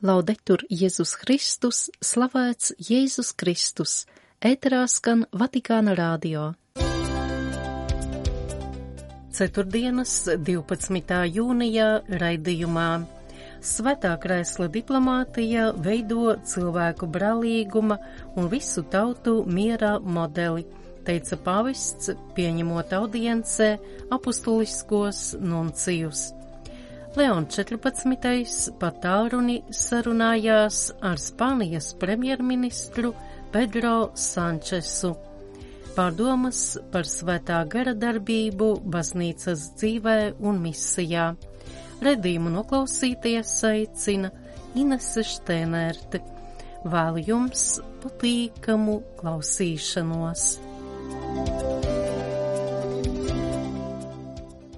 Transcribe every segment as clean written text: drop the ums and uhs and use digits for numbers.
Laudetur Jēzus Kristus, slavēts Jēzus Kristus, ēterā skan Vatikāna radio. Ceturtdienas 12. jūnijā raidījumā Svētā krēsla diplomātija veido cilvēku brālīguma un visu tautu miera modeli, teica pāvests, pieņemot audiencē apustuliskos nuncijus. Leons 14. pa tālruni sarunājās ar Spānijas premjerministru Pedro Sančesu. Pārdomas par svētā gara darbību baznīcas dzīvē un misijā. Redījumu noklausīties aicina Inese Štēnerte. Vēlu jums patīkamu klausīšanos.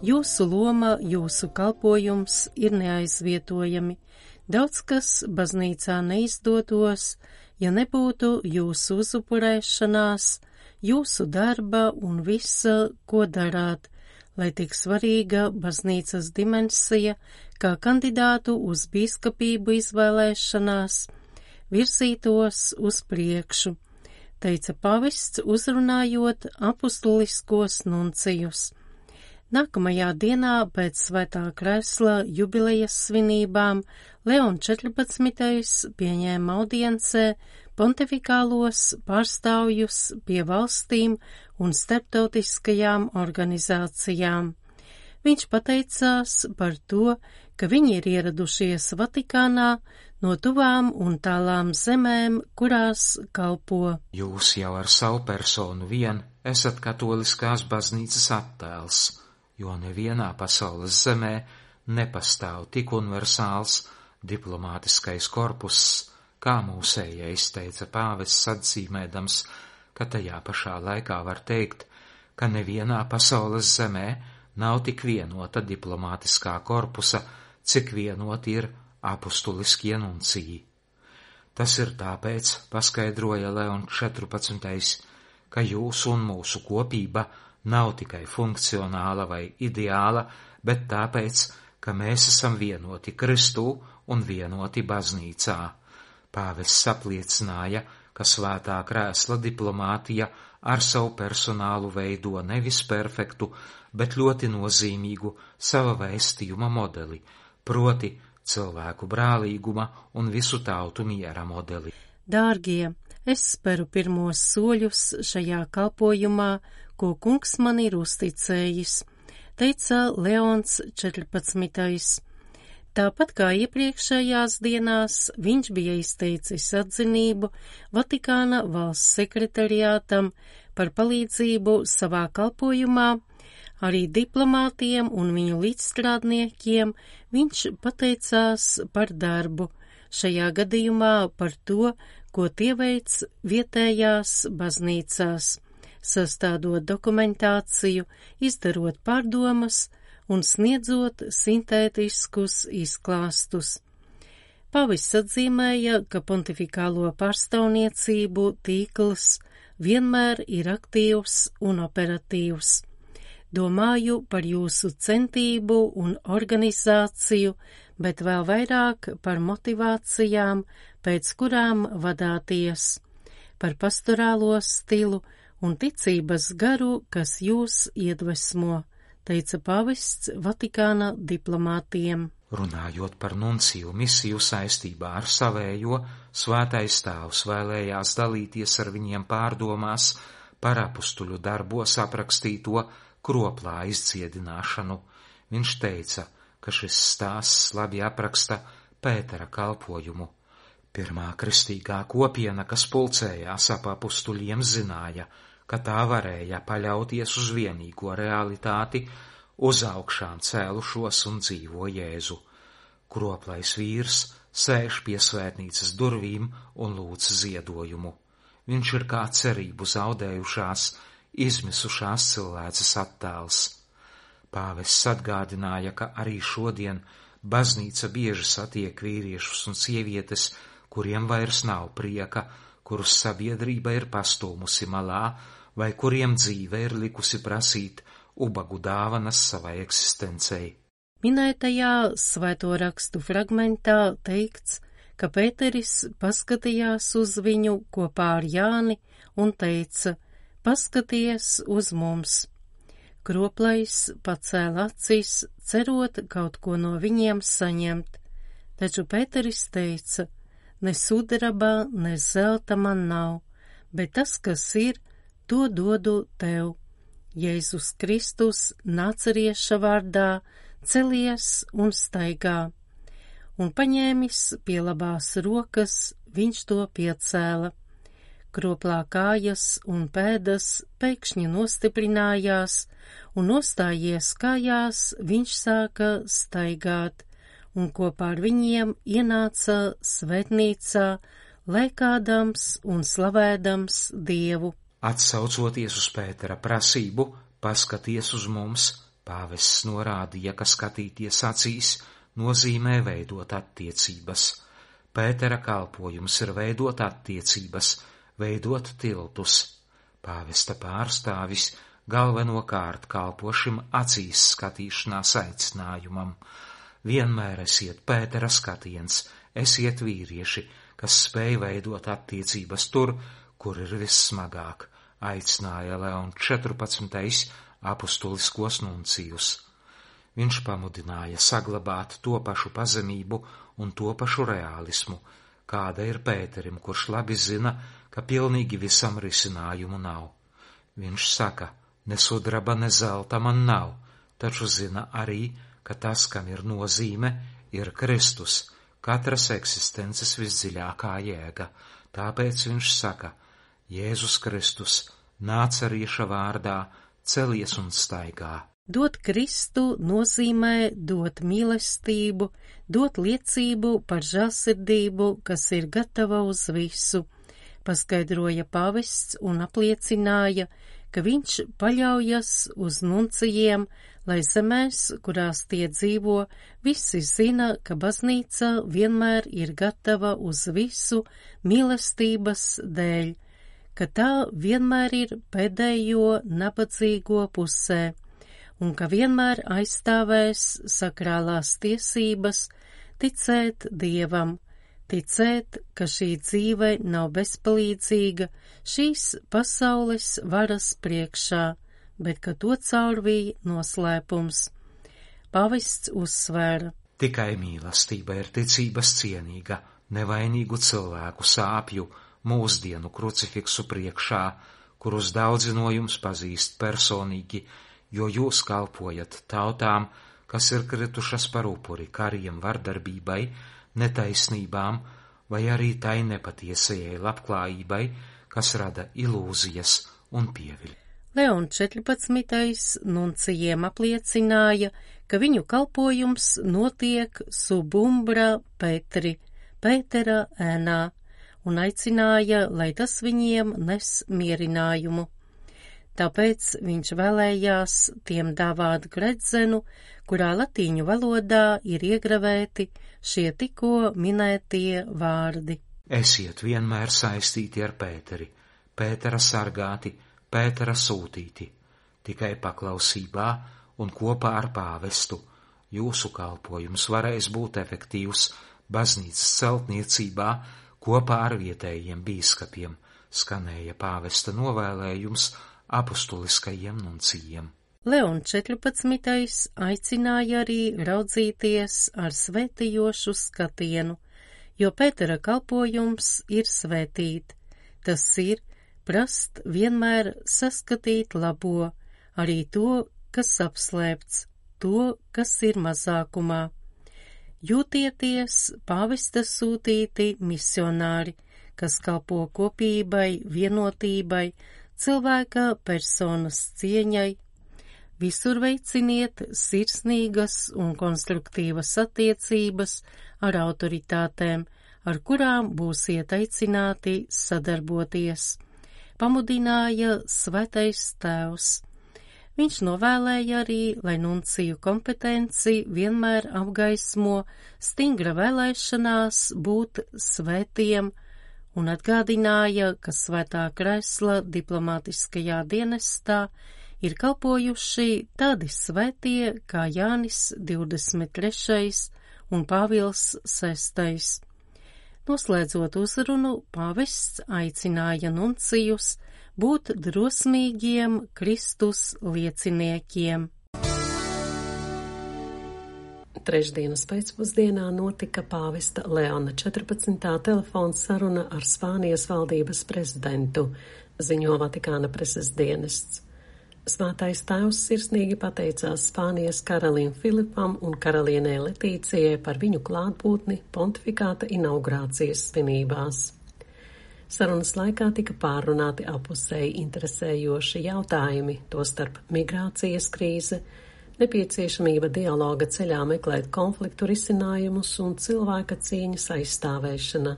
Jūsu loma, jūsu kalpojums ir neaizvietojami. Daudz kas baznīcā neizdotos, ja nebūtu jūsu uzupurēšanās, jūsu darba un visa, ko darāt, lai tik svarīga baznīcas dimensija, kā kandidātu uz bīskapību izvēlēšanās, virzītos uz priekšu, teica pāvests, uzrunājot apustuliskos nuncijus. Nākamajā dienā pēc Svētā krēsla jubilejas svinībām Leons 14. pieņēma audiencē pontifikālos pārstāvjus pie valstīm un starptautiskajām organizācijām. Viņš pateicās par to, ka viņi ir ieradušies Vatikānā no tuvām un tālām zemēm, kurās kalpo. Jūs jau ar savu personu vien esat katoliskās baznīcas attēls, jo nevienā pasaules zemē nepastāv tik universāls diplomātiskais korpuss, kā mūsējais, teica pāvests, atzīmēdams, ka tajā pašā laikā var teikt, ka nevienā pasaules zemē nav tik vienota diplomātiskā korpusa, cik vienoti ir apustuliskie nunciji. Tas ir tāpēc, paskaidroja Leons 14., ka jūsu un mūsu kopība nav tikai funkcionāla vai ideāla, bet tāpēc, ka mēs esam vienoti Kristū un vienoti baznīcā. Pāvests apliecināja, ka svētā krēsla diplomātija ar savu personālu veido nevis perfektu, bet ļoti nozīmīgu sava vēstījuma modeli, proti cilvēku brālīguma un visu tautu miera modeli. Dārgie, es speru pirmos soļus šajā kalpojumā, ko kungs man ir uzticējis, teica Leons 14. Tāpat kā iepriekšējās dienās, viņš bija izteicis atzinību Vatikāna valsts sekretariātam par palīdzību savā kalpojumā, arī diplomātiem un viņu līdzstrādniekiem viņš pateicās par darbu, šajā gadījumā par to, ko tie veic vietējās baznīcās, sastādot dokumentāciju, izdarot pārdomas un sniedzot sintētiskus izklāstus. Pāvests atzīmēja, ka pontifikālo pārstāvniecību tīkls vienmēr ir aktīvs un operatīvs. Domāju par jūsu centību un organizāciju, bet vēl vairāk par motivācijām, pēc kurām vadāties, par pastorālo stilu un ticības garu, kas jūs iedvesmo, teica pāvests Vatikāna diplomātiem. Runājot par nunciju misiju saistībā ar savējo, svētais tēvs vēlējās dalīties ar viņiem pārdomās par apustuļu darbos aprakstīto kroplā izdziedināšanu. Viņš teica, ka šis stāsts labi apraksta Pētera kalpojumu. Pirmā kristīgā kopiena, kas pulcējās ap apustuļiem, zināja, ka tā varēja paļauties uz vienīgo realitāti, uz augšām cēlušos un dzīvo Jēzu. Kroplais vīrs sēž pie svētnīcas durvīm un lūdz ziedojumu. Viņš ir kā cerību zaudējušās, izmisušās cilvēces attēls. Pāvests atgādināja, ka arī šodien baznīca bieži satiek vīriešus un sievietes, kuriem vairs nav prieka, kurus sabiedrība ir pastūmusi malā, vai kuriem dzīve ir likusi prasīt ubagu dāvanas savai eksistencei. Minētajā svēto rakstu fragmentā teikts, ka Pēteris paskatījās uz viņu kopā ar Jāni un teica: paskaties uz mums. Kroplais pacēla acis, cerot kaut ko no viņiem saņemt, taču Pēteris teica: ne sudraba, ne zelta man nav, bet tas, kas ir, to dodu tev. Jēzus Kristus, Nācerieša vārdā, celies un staigā. Un paņēmis pie labās rokas, viņš to piecēla. Kroplā kājas un pēdas pēkšņi nostiprinājās, un nostājies kājās, viņš sāka staigāt, un kopā ar viņiem ienāca svētnīcā, lēkādams un slavēdams Dievu. Atsaucoties uz Pētera prasību, paskaties uz mums, pāvests norādīja, ka skatīties acīs nozīmē veidot attiecības. Pētera kalpojums ir veidot attiecības, veidot tiltus. Pāvesta pārstāvis galvenokārt kalpo šim acīs skatīšanās aicinājumam. Vienmēr esiet Pētera skatiens, esiet vīrieši, kas spēj veidot attiecības tur, kur ir vissmagāk, aicināja Leons 14. apustuliskos nuncijus. Viņš pamudināja saglabāt to pašu pazemību un to pašu reālismu, kāda ir Pēterim, kurš labi zina, ka pilnīgi visam risinājumu nav. Viņš saka: ne sudraba, ne zelta man nav, taču zina arī, ka tas, kam ir nozīme, ir Kristus, katras eksistences visdziļākā jēga. Tāpēc viņš saka: Jēzus Kristus, Nācerieša vārdā, celies un staigā. Dot Kristu nozīmē dot mīlestību, dot liecību par žēlsirdību, kas ir gatava uz visu, paskaidroja pāvests un apliecināja, ka viņš paļaujas uz nuncijiem, lai zemēs, kurās tie dzīvo, visi zina, ka baznīca vienmēr ir gatava uz visu mīlestības dēļ, ka tā vienmēr ir pēdējo nabadzīgo pusē, un ka vienmēr aizstāvēs sakrālās tiesības, ticēt Dievam, ticēt, ka šī dzīve nav bezpalīdzīga šīs pasaules varas priekšā, bet ka to caurvīja noslēpums. Pāvests uzsvēra: tikai mīlestība ir ticības cienīga, nevainīgu cilvēku sāpju, mūsdienu krucifiksu priekšā, kurus daudzi no jums pazīst personīgi, jo jūs kalpojat tautām, kas ir kritušas par upuri kariem, vardarbībai, netaisnībām vai arī tai nepatiesajai labklājībai, kas rada ilūzijas un pieviļ. Leons 14. nuncijiem apliecināja, ka viņu kalpojums notiek sub umbra Petri, Pētera ēnā, un aicināja, lai tas viņiem nes mierinājumu. Tāpēc viņš vēlējās tiem dāvāt gredzenu, kurā latīņu valodā ir iegravēti šie tikko minētie vārdi. Esiet vienmēr saistīti ar Pēteri, Pētera sargāti, Pētera sūtīti, tikai paklausībā un kopā ar pāvestu. Jūsu kalpojums varēs būt efektīvs baznīcas celtniecībā kopā ar vietējiem bīskapiem, skanēja pāvesta novēlējums apustuliskajiem nuncijiem. Leons 14. aicināja arī raudzīties ar svētījošu skatienu, jo Pētera kalpojums ir svētīt. Tas ir prast vienmēr saskatīt labo, arī to, kas apslēpts, to, kas ir mazākumā. Jūtieties pāvesta sūtīti misionāri, kas kalpo kopībai, vienotībai, cilvēka personas cieņai. Visur veiciniet sirsnīgas un konstruktīvas attiecības ar autoritātēm, ar kurām būsiet aicināti sadarboties, pamudināja Svētais Tēvs. Viņš novēlēja arī, lai nunciju kompetenci vienmēr apgaismo stingra vēlēšanās būt svētiem un atgādināja, ka Svētā Kresla diplomātiskajā dienestā ir kalpojuši tādi svētie kā Jānis 23. un Pāvils 6. Noslēdzot uzrunu, pāvests aicināja nuncijus būt drosmīgiem Kristus lieciniekiem. Trešdienas pēcpusdienā notika pāvesta Leona 14. telefona saruna ar Spānijas valdības prezidentu, ziņo Vatikāna preses dienests. Svētais tēvs sirsnīgi pateicās Spānijas karalim Filipam un karalienei Letīcijai par viņu klātbūtni pontifikāta inaugurācijas svinībās. Sarunas laikā tika pārrunāti apusēji interesējoši jautājumi, tostarp migrācijas krīze, nepieciešamība dialoga ceļā meklēt konfliktu risinājumus un cilvēka cieņas aizstāvēšana.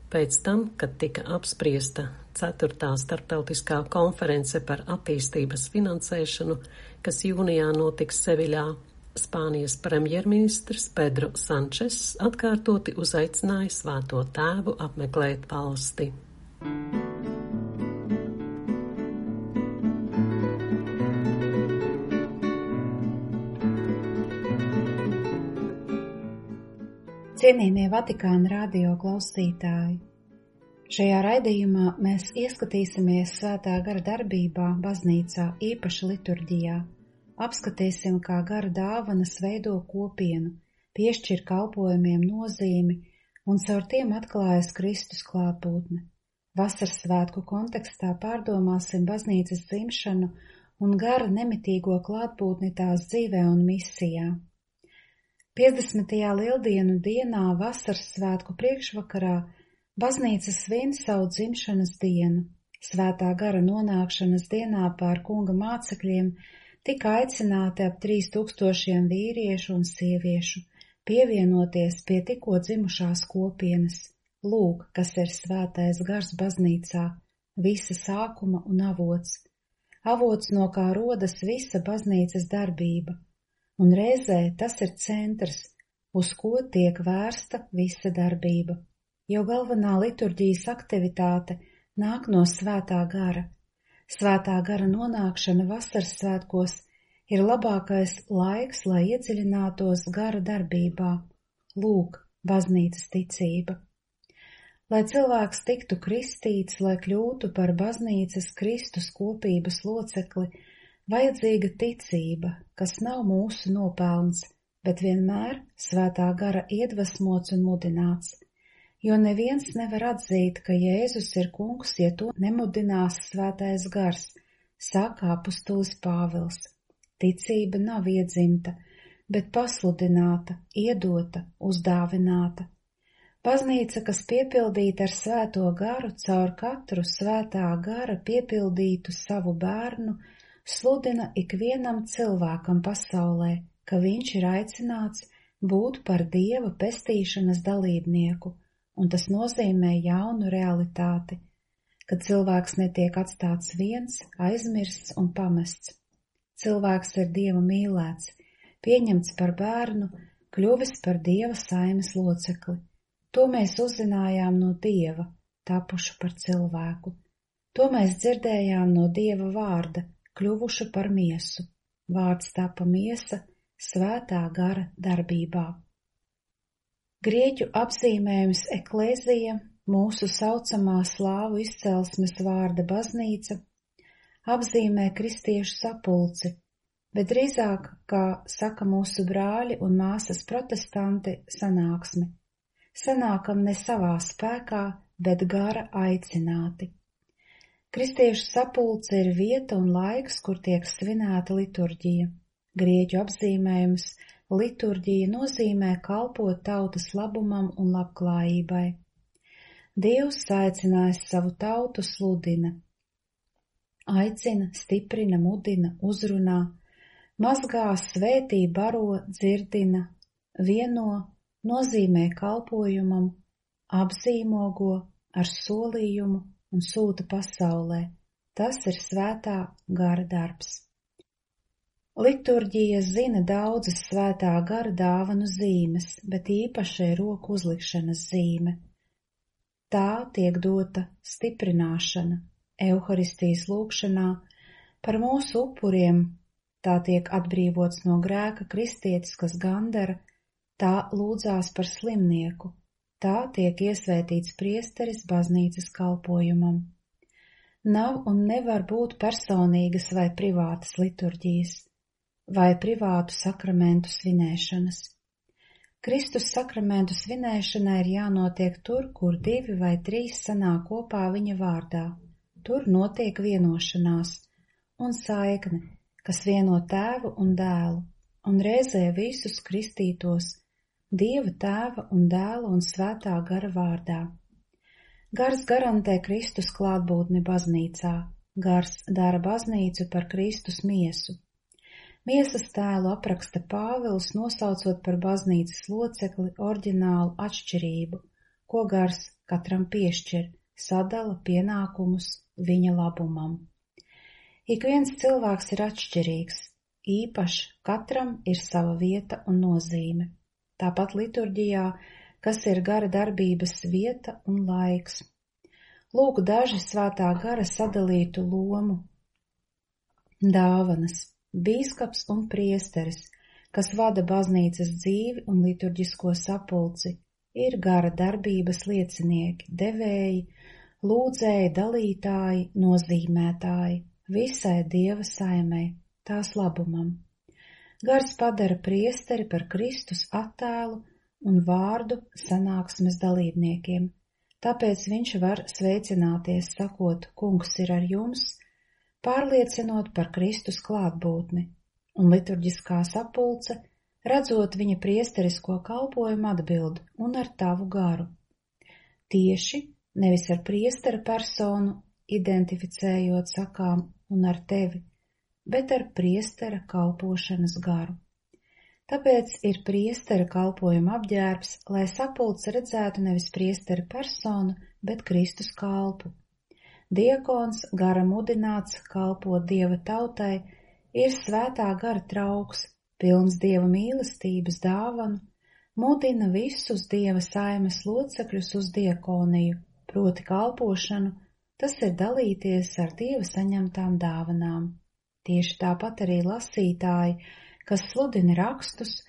Pēc tam, kad tika apspriesta 4. starptautiskā konference par attīstības finansēšanu, kas jūnijā notiks Seviļā, Spānijas premjerministrs Pedro Sančes atkārtoti uzaicināja Svēto tēvu apmeklēt valsti. Cienījamie Vatikāna radio klausītāji, šajā raidījumā mēs ieskatīsimies Svētā gara darbībā baznīcā, īpaši liturģijā, apskatīsim, kā gara dāvanas veido kopienu, piešķir kalpojumiem nozīmi un caur tiem atklājas Kristus klātbūtne. Vasaras svētku kontekstā pārdomāsim baznīcas dzimšanu un gara nemitīgo klātbūtni tās dzīvē un misijā. 50. lieldienu dienā vasaras svētku priekšvakarā baznīca svin savu dzimšanas dienu. Svētā gara nonākšanas dienā pār kunga mācekļiem tika aicināti ap 3000 vīriešu un sieviešu pievienoties pie tikko dzimušās kopienas. Lūk, kas ir svētais gars baznīcā, visa sākuma un avots. Avots, no kā rodas visa baznīcas darbība. Un reizē tas ir centrs, uz ko tiek vērsta visa darbība, jo galvenā liturģijas aktivitāte nāk no svētā gara. Svētā gara nonākšana vasaras svētkos ir labākais laiks, lai iedziļinātos gara darbībā. Lūk, baznīcas ticība. Lai cilvēks tiktu kristīts, lai kļūtu par baznīcas Kristus kopības locekli, vajadzīga ticība, kas nav mūsu nopelns, bet vienmēr svētā gara iedvesmots un mudināts, jo neviens nevar atzīt, ka Jēzus ir kungs, ja to nemudinās svētais gars, saka apustulis Pāvils. Ticība nav iedzimta, bet pasludināta, iedota, uzdāvināta. Baznīca, kas piepildīta ar svēto garu, caur katru svētā gara piepildītu savu bērnu, sludina ikvienam cilvēkam pasaulē, ka viņš ir aicināts būt par Dieva pestīšanas dalībnieku, un tas nozīmē jaunu realitāti, kad cilvēks netiek atstāts viens, aizmirsts un pamests. Cilvēks ir Dieva mīlēts, pieņemts par bērnu, kļuvis par Dieva saimes locekli. To mēs uzzinājām no Dieva, tapušu par cilvēku. To mēs dzirdējām no Dieva vārda, kļuvušu par miesu. Vārds tapa miesa svētā gara darbībā. Grieķu apzīmējums eklēzija, mūsu saucamā slāvu izcelsmes vārda baznīca, apzīmē kristiešu sapulci, bet drīzāk, kā saka mūsu brāļi un māsas protestanti, sanāksmi. Sanākam ne savā spēkā, bet gara aicināti. Kristiešu sapulce ir vieta un laiks, kur tiek svinēta liturģija. Grieķu apzīmējums liturģija nozīmē kalpot tautas labumam un labklājībai. Dievs aicinājis savu tautu sludina, aicina, stiprina, mudina, uzrunā, mazgā, svētī, baro, dzirdina, vieno, nozīmē kalpojumam, apzīmogo ar solījumu un sūta pasaulē. Tas ir svētā gara darbs. Liturģija zina daudzas svētā gara dāvanu zīmes, bet īpaši ir roku uzlikšanas zīme. Tā tiek dota stiprināšana, Euharistijas lūgšanā, par mūsu upuriem, tā tiek atbrīvots no grēka kristietis, kas gandara, tā lūdzās par slimnieku, Tā tiek iesvētīts priesteris baznīcas kalpojumam. Nav un nevar būt personīgas vai privātas liturģijas, vai privātu sakramentu svinēšanas. Kristus sakramentu svinēšanai ir jānotiek tur, kur 2 vai 3 sanāk kopā viņa vārdā. Tur notiek vienošanās un saikne, kas vieno Tēvu un Dēlu, un reizē visus kristītos Dieva Tēva un Dēla un Svētā gara vārdā. Gars garantē Kristus klātbūtni baznīcā, gars dara baznīcu par Kristus miesu. Miesas tēlu apraksta Pāvils, nosaucot par baznīcas locekli oriģinālu atšķirību, ko gars katram piešķir, sadala pienākumus viņa labumam. Ik viens cilvēks ir atšķirīgs, īpašs, katram ir sava vieta un nozīme. Tāpat liturģijā, kas ir gara darbības vieta un laiks. Lūk daži Svētā gara sadalītu lomu dāvanas. Bīskaps un priesteris, kas vada baznīcas dzīvi un liturģisko sapulci, ir gara darbības liecinieki, devēji, lūdzēji, dalītāji, nozīmētāji, visai Dieva saimei, tās labumam. Gars padara priesteri par Kristus attēlu un vārdu sanāksmes dalībniekiem, tāpēc viņš var sveicināties, sakot, Kungs ir ar jums, pārliecinot par Kristus klātbūtni, un liturģiskā sapulce, redzot viņa priesterisko kalpojumu, atbild un ar tavu garu. Tieši, nevis ar priestera personu, identificējot sakām un ar tevi, bet ar priestera kalpošanas garu. Tāpēc ir priestera kalpojuma apģērbs, lai sapulce redzētu nevis priestera personu, bet Kristus kalpu. Diakons, gara mudināts kalpot Dieva tautai, ir Svētā gara trauks, pilns Dieva mīlestības dāvanu, mudina visus Dieva saimes locekļus uz diakoniju, proti kalpošanu, tas ir dalīties ar Dieva saņemtām dāvanām. Tieši tāpat arī lasītāji, kas sludina rakstus,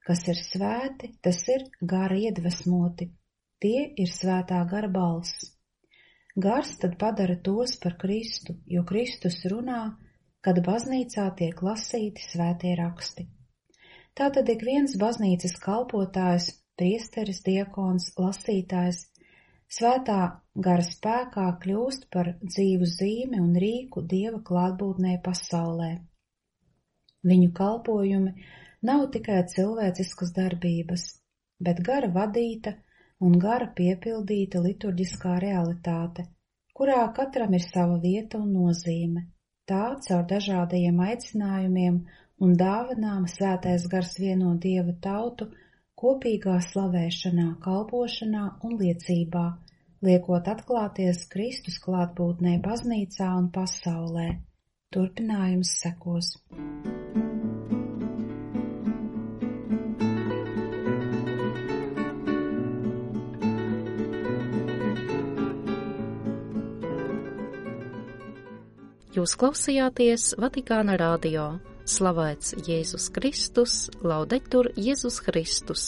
kas ir svēti, tas ir gara iedvesmoti, tie ir Svētā gara balss. Gars tad padara tos par Kristu, jo Kristus runā, kad baznīcā tiek lasīti svētie raksti. Tātad ik viens baznīcas kalpotājs, priesteris, diakons, lasītājs, Svētā gara spēkā kļūst par dzīvu zīmi un rīku Dieva klātbūtnē pasaulē. Viņu kalpojumi nav tikai cilvēciskas darbības, bet gara vadīta un gara piepildīta liturģiskā realitāte, kurā katram ir sava vieta un nozīme. Tā caur dažādajiem aicinājumiem un dāvanām Svētais gars vieno Dieva tautu kopīgā slavēšanā, kalpošanā un liecībā, liekot atklāties Kristus klātbūtnē baznīcā un pasaulē. Turpinājums sekos. Jūs klausījāties Vatikāna radio. Slavēts Jēzus Kristus, laudetur Jēzus Kristus.